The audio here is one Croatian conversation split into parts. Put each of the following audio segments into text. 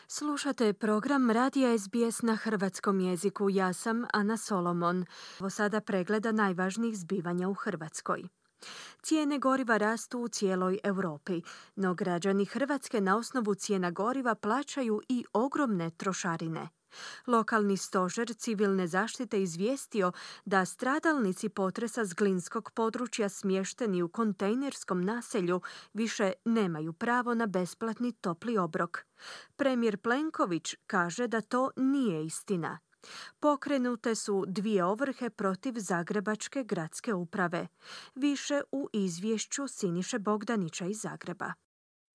Slušate program Radija SBS na hrvatskom jeziku. Ja sam Ana Solomon. Ovo sada pregleda najvažnijih zbivanja u Hrvatskoj. Cijene goriva rastu u cijeloj Europi, no građani Hrvatske na osnovu cijena goriva plaćaju i ogromne trošarine. Lokalni stožer civilne zaštite izvijestio da stradalnici potresa s glinskog područja smješteni u kontejnerskom naselju više nemaju pravo na besplatni topli obrok. Premijer Plenković kaže da to nije istina. Pokrenute su 2 ovrhe protiv Zagrebačke gradske uprave. Više u izvješću Siniše Bogdanića iz Zagreba.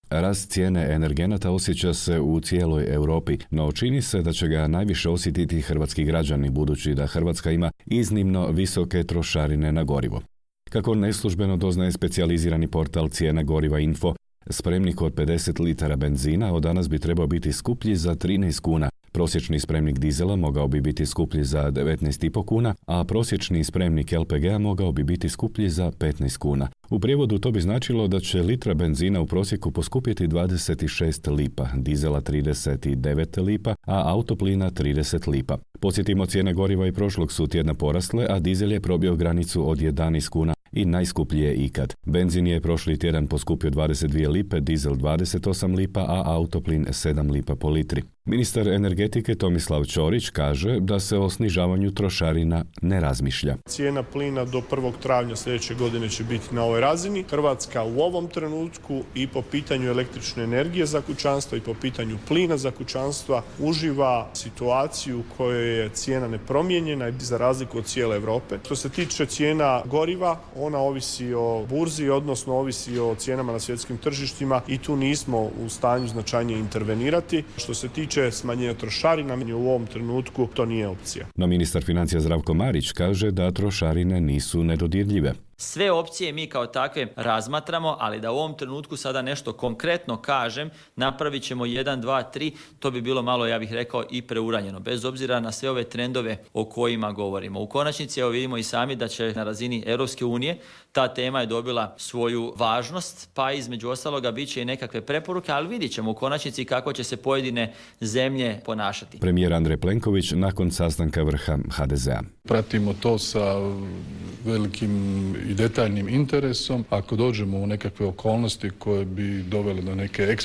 Rast cijene energenata osjeća se u cijeloj Europi, no čini se da će ga najviše osjetiti hrvatski građani, budući da Hrvatska ima iznimno visoke trošarine na gorivo. Kako neslužbeno doznaje specijalizirani portal Cijena goriva Info, spremnik od 50 litara benzina od danas bi trebao biti skuplji za 13 kuna. Prosječni spremnik dizela mogao bi biti skuplji za 19,5 kuna, a prosječni spremnik LPG-a mogao bi biti skuplji za 15 kuna. U prijevodu to bi značilo da će litra benzina u prosjeku poskupjeti 26 lipa, dizela 39 lipa, a autoplina 30 lipa. Podsjetimo, cijene goriva i prošlog su tjedna porasle, a dizel je probio granicu od 11 kuna i najskuplji je ikad. Benzin je prošli tjedan poskupio 22 lipe, dizel 28 lipa, a autoplin 7 lipa po litri. Ministar energetike Tomislav Ćorić kaže da se o snižavanju trošarina ne razmišlja. Cijena plina do 1. travnja sljedeće godine će biti na ovoj razini. Hrvatska u ovom trenutku i po pitanju električne energije za kućanstva i po pitanju plina za kućanstva uživa situaciju u kojoj je cijena nepromijenjena i za razliku od cijele Europe. Što se tiče cijena goriva, ona ovisi o burzi, odnosno ovisi o cijenama na svjetskim tržištima i tu nismo u stanju značajnije intervenirati. Što se tiče smanjenja trošarina, u ovom trenutku to nije opcija. No ministar financija Zdravko Marić kaže da trošarine nisu nedodirljive. Sve opcije mi kao takve razmatramo, ali da u ovom trenutku sada nešto konkretno kažem, napravit ćemo 1, 2, 3, to bi bilo malo, ja bih rekao, i preuranjeno, bez obzira na sve ove trendove o kojima govorimo. U konačnici, evo vidimo i sami da će na razini Europske unije ta tema je dobila svoju važnost, pa između ostaloga bit će i nekakve preporuke, ali vidit ćemo u konačnici kako će se pojedine zemlje ponašati. Premijer Andrej Plenković nakon sastanka vrha HDZ-a. Pratimo to sa velikim i detaljnim interesom. Ako dođemo u nekakve okolnosti koje bi dovele do neke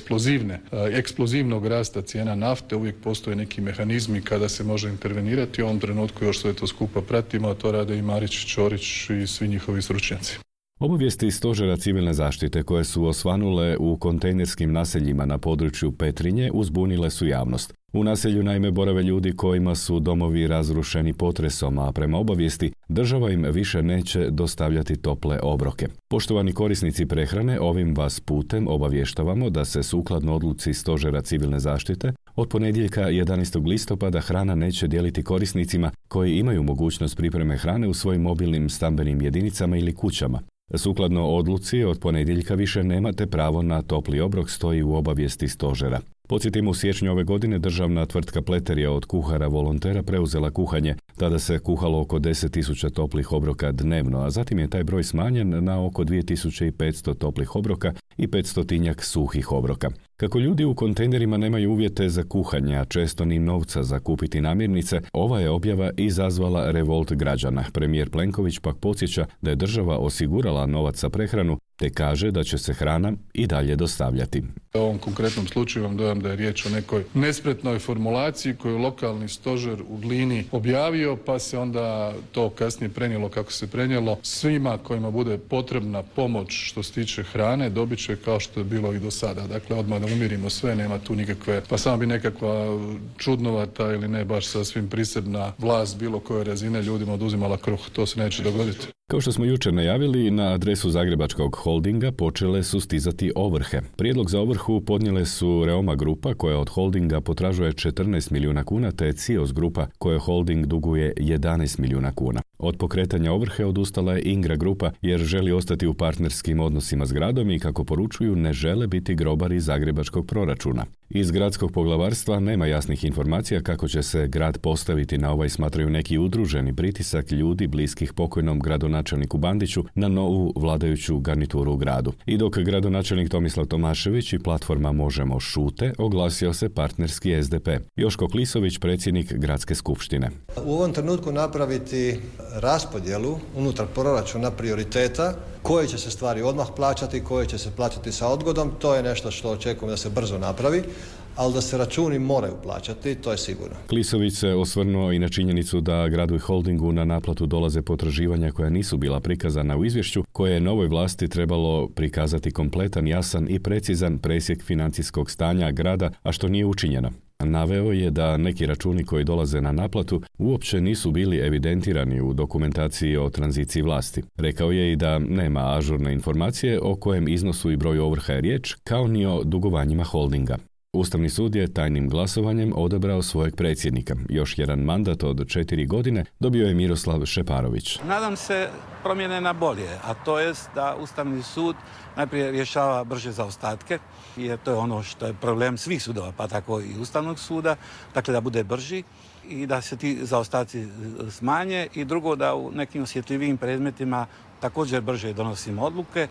eksplozivnog rasta cijena nafte, uvijek postoje neki mehanizmi kada se može intervenirati. U ovom trenutku još sve to skupa pratimo, a to rade i Marić, Ćorić i svi njihovi stručnjaci. Obavijesti stožera civilne zaštite koje su osvanule u kontejnerskim naseljima na području Petrinje uzbunile su javnost. U naselju naime borave ljudi kojima su domovi razrušeni potresom, a prema obavijesti država im više neće dostavljati tople obroke. Poštovani korisnici prehrane, ovim vas putem obavještavamo da se sukladno odluci stožera civilne zaštite od ponedjeljka 11. listopada hrana neće dijeliti korisnicima koji imaju mogućnost pripreme hrane u svojim mobilnim stambenim jedinicama ili kućama. Sukladno odluci, od ponedjeljka više nemate pravo na topli obrok, stoji u obavijesti stožera. Podsjetimo, u siječnju ove godine državna tvrtka Pleter je od kuhara volontera preuzela kuhanje. Tada se kuhalo oko 10.000 toplih obroka dnevno, a zatim je taj broj smanjen na oko 2.500 toplih obroka i 500 suhih obroka. Kako ljudi u kontejnerima nemaju uvjete za kuhanje, a često ni novca za kupiti namirnice, ova je objava izazvala revolt građana. Premijer Plenković pak podsjeća da je država osigurala novac za prehranu, te kaže da će se hrana i dalje dostavljati. U ovom konkretnom slučaju vam dojam da je riječ o nekoj nespretnoj formulaciji koju je lokalni stožer u Glini objavio, pa se onda to kasnije prenijelo kako se prenijelo. Svima kojima bude potrebna pomoć što se tiče hrane dobit će kao što je bilo i do sada. Dakle, odmah da umirimo sve, nema tu nikakve, pa samo bi nekakva čudnovata ili ne baš sasvim prisebna vlast bilo koje razine ljudima oduzimala kruh. To se neće dogoditi. Kao što smo jučer najavili, na adresu Zagrebačkog holdinga počele su stizati ovrhe. Prijedlog za ovrhu podnijele su Reoma grupa koja od holdinga potražuje 14 milijuna kuna, te Cios grupa koja holding duguje 11 milijuna kuna. Od pokretanja ovrhe odustala je Ingra grupa jer želi ostati u partnerskim odnosima s gradom i, kako poručuju, ne žele biti grobari zagrebačkog proračuna. Iz gradskog poglavarstva nema jasnih informacija kako će se grad postaviti na ovaj, smatraju neki, udruženi pritisak ljudi bliskih pokojnom gradonačelniku Bandiću na novu vladajuću garnituru u gradu. I dok gradonačelnik Tomislav Tomašević i platforma Možemo šute, oglasio se partnerski SDP. Joško Klisović, predsjednik gradske skupštine. U ovom trenutku napraviti raspodjelu unutar proračuna prioriteta, koje će se stvari odmah plaćati, koje će se plaćati sa odgodom, to je nešto što očekujem da se brzo napravi, ali da se računi moraju plaćati, to je sigurno. Klisović se osvrnuo i na činjenicu da gradu i holdingu na naplatu dolaze potraživanja koja nisu bila prikazana u izvješću, koje je novoj vlasti trebalo prikazati kompletan, jasan i precizan presjek financijskog stanja grada, a što nije učinjeno. Naveo je da neki računi koji dolaze na naplatu uopće nisu bili evidentirani u dokumentaciji o tranziciji vlasti. Rekao je i da nema ažurne informacije o kojem iznosu i broju ovrha je riječ, kao ni o dugovanjima holdinga. Ustavni sud je tajnim glasovanjem odabrao svojeg predsjednika. Još jedan mandat od 4 godine dobio je Miroslav Šeparović. Nadam se promjene na bolje, a to je da Ustavni sud najprije rješava brže zaostatke, jer to je ono što je problem svih sudova, pa tako i Ustavnog suda, dakle da bude brži i da se ti zaostaci smanje, i drugo da u nekim osjetljivijim predmetima također brže donosimo odluke,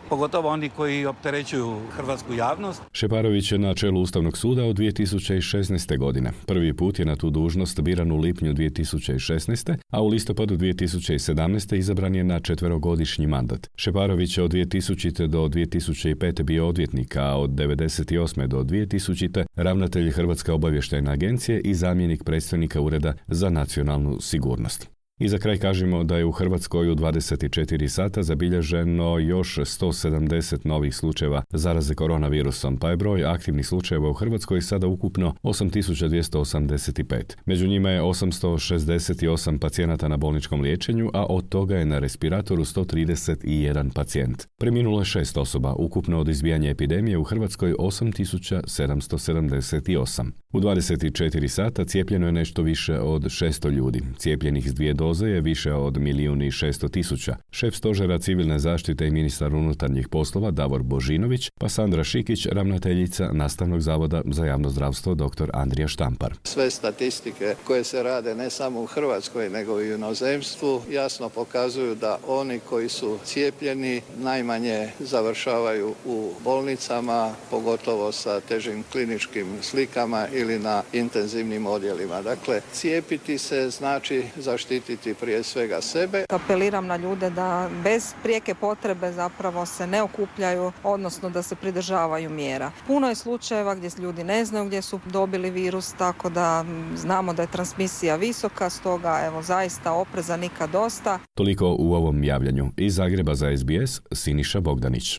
pogotovo oni koji opterećuju hrvatsku javnost. Šeparović je na čelu Ustavnog suda od 2016. godine. Prvi put je na tu dužnost biran u lipnju 2016. a u listopadu 2017. izabran je na 4-godišnji mandat. Šeparović je od 2000. do 2005. bio odvjetnik, a od 1998. do 2000. ravnatelj Hrvatske obavještajne agencije i zamjenik predstojnika Ureda za nacionalnu sigurnost. I za kraj kažemo da je u Hrvatskoj u 24 sata zabilježeno još 170 novih slučajeva zaraze koronavirusom, pa je broj aktivnih slučajeva u Hrvatskoj sada ukupno 8285. Među njima je 868 pacijenata na bolničkom liječenju, a od toga je na respiratoru 131 pacijent. Preminulo je 6 osoba, ukupno od izbijanja epidemije u Hrvatskoj 8778. U 24 sata cijepljeno je nešto više od 600 ljudi. Cijepljenih s 2 doze je više od 1.600.000. Šef stožera civilne zaštite i ministar unutarnjih poslova Davor Božinović, pa Sandra Šikić, ravnateljica Nastavnog zavoda za javno zdravstvo dr. Andrija Štampar. Sve statistike koje se rade ne samo u Hrvatskoj nego i u inozemstvu jasno pokazuju da oni koji su cijepljeni najmanje završavaju u bolnicama, pogotovo sa težim kliničkim slikama ili na intenzivnim odjelima. Dakle, cijepiti se znači zaštititi prije svega sebe. Apeliram na ljude da bez prijeke potrebe zapravo se ne okupljaju, odnosno da se pridržavaju mjera. Puno je slučajeva gdje ljudi ne znaju gdje su dobili virus, tako da znamo da je transmisija visoka, stoga evo zaista opreza nikad dosta. Toliko u ovom javljanju. Iz Zagreba za SBS, Siniša Bogdanić.